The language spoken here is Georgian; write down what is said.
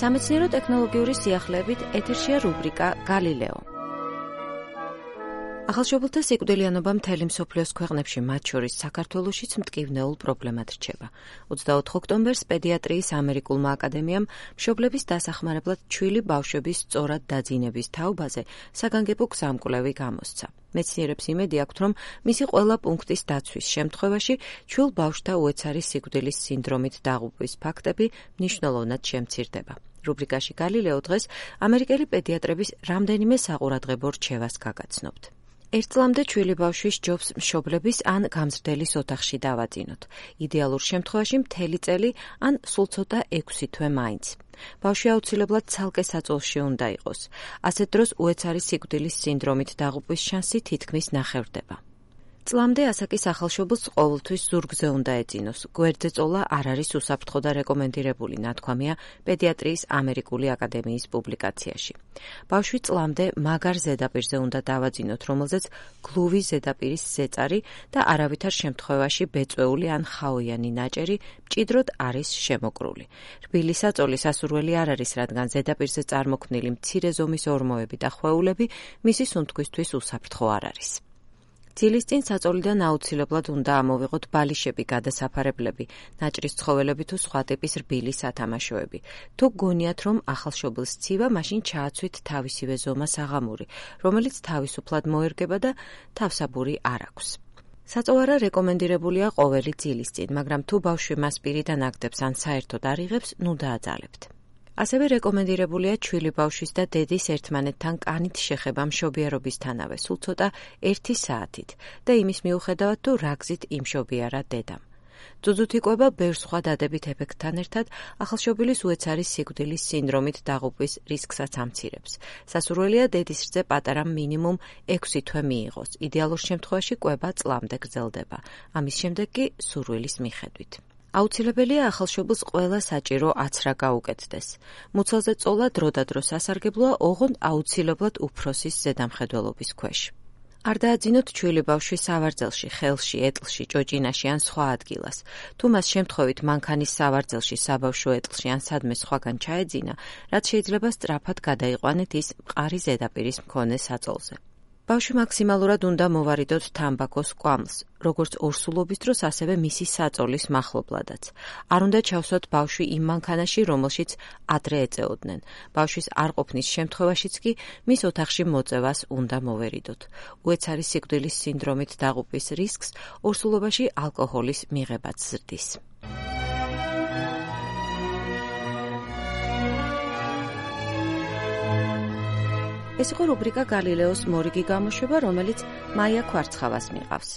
სამეცნიერო-ტექნოლოგიური სიახლეებით ეთერშია რუბრიკა გალილეო. ახალშობილთა სიკვდილიანობა მთელი მსოფლიოს ქვეყნებში, მათ შორის საქართველოშიც მტკივნეულ პრობლემად რჩება. 24 ოქტომბერს პედიატრიის ამერიკულმა აკადემიამ მშობლების დასახმარებლად ჩვილი ბავშვების სწორად დაძინების თაობაზე საგანგებო გზამკვლევი გამოსცა. მეცნიერებს იმედი აქვთ, რომ მისი ყველა პუნქტის დაცვის შემთხვევაში ჩვილ ბავშვთა უეცარი სიკვდილის სინდრომით დაღუპვის ფაქტები მნიშვნელოვნად შემცირდება. რუბრიკაში გალილეო დღეს ამერიკელი პედიატრების რამდენიმე საყურადღებო რჩევას გაგაცნობთ. ერთ წლამდე ჩვილი ბავშვის ჯობს მშობლების ან გამზრდელის ოთახში დავაძინოთ. იდეალურ შემთხვევაში მთელი წელი ან სულ ცოტა 6 თვე მაინც. ბავშვი აუცილებლად ცალკე საწოლში უნდა იყოს. ასეთ დროს უეცარი სიკვდილის სინდრომით დაღუპვის შანსი თითქმის ნახევრდება. წლამდე ასაკის ახალშობილს ყოველთვის ზურგზე უნდა ეძინოს. გვერდზე წოლა არ არის უსაფრთხო და რეკომენდირებული, ნათქვამია პედიატრიის ამერიკული აკადემიის პუბლიკაციაში. ბავშვი წლამდე მაგარ ზედაპირზე უნდა დავაძინოთ, რომელზეც გლუვი ზედაპირის ზეწარი და არავითარ შემთხვევაში ბეწვეული ან ხაოიანი ნაჭერი მჭიდროდ არის შემოკრული. რბილი საწოლი სასურველი არ არის, რადგან ზედაპირზე წარმოქმნილი მცირე ზომის ორმოები და ხვეულები მისი სუნთქვისთვის უსაფრთხო არ არის. ძილის წინ საწოლიდან აუცილებლად უნდა ამოვიღოთ ბალიშები, გადასაფარებლები, ნაჭრის ცხოველები თუ სხვა ტიპის რბილი სათამაშოები. თუ გონიათ, რომ ახალშობილს სცივა, მაშინ ჩააცვით თავისივე ზომას აღამური, რომელიც თავისუფლად მოერგება და თავსაბური არ აქვს. საწოვარა რეკომენდირებულია ყოველი ძილის წინ, მაგრამ თუ ბავშვი მას პირიდან აგდებს ან საერთოდ არ იღებს, ნუ დააძალებთ. ასევე რეკომენდირებულია ჩვილი ბავშვის და დედის ერთმანეთთან კანით შეხება მშობიარობისთანავე, სულ ცოტა 1 საათით და იმის მიუხედავად, თუ რა გზით იმშობიარა დედამ. ძუძუთი კვება ბევრ სხვა დადებით ეფექტთან ერთად ახალშობილის უეცარი სიკვდილის სინდრომით დაღუპვის რისკსაც ამცირებს. სასურველია დედის რძე პატარა მინიმუმ 6 თვე მიიღოს. იდეალურ შემთხვევაში კვება წლამდე გრძელდება. ამის შემდეგ კი სურვილის მიხედვით. აუცილებელია ახალშობილს ყველა საჭირო აცრა გაუკეთდეს. მუცელზე წოლა დროდადრო სასარგებლოა, ოღონდ აუცილებლად უფროსის ზედამხედველობის ქვეშ. არ დააძინოთ ჩვილი ბავშვი სავარძელში, ხელში, ეტლში, ჭოჭინაში ან სხვა ადგილას. თუ მას შემთხვევით მანქანის სავარძელში, საბავშვო ეტლში ან სადმე სხვაგან ჩაეძინა, რაც შეიძლება სწრაფად გადაიყვანეთ ის მყარი ზედაპირის მქონე საწოლზე. ბავშვი მაქსიმალურად უნდა მოვარიდოთ თამბაქოს კვამლს, როგორც ორსულობის დროს, ასევე მისი საწოლის მახლობლადაც. არ უნდა ჩავსვათ ბავშვი იმ მანქანაში, რომელშიც ადრე ეწეოდნენ. ბავშვის არ ყოფნის შემთხვევაშიც კი მის ოთახში მოწევას უნდა მოვერიდოთ. უეცარი სიკვდილის სინდრომით დაღუპვის რისკს ორსულობაში ალკოჰოლის მიღებაც ზრდის. ეს იყო რუბრიკა გალილეოს მორიგი გამოშვება, რომელიც მაია ქვარცხავას მიყავს.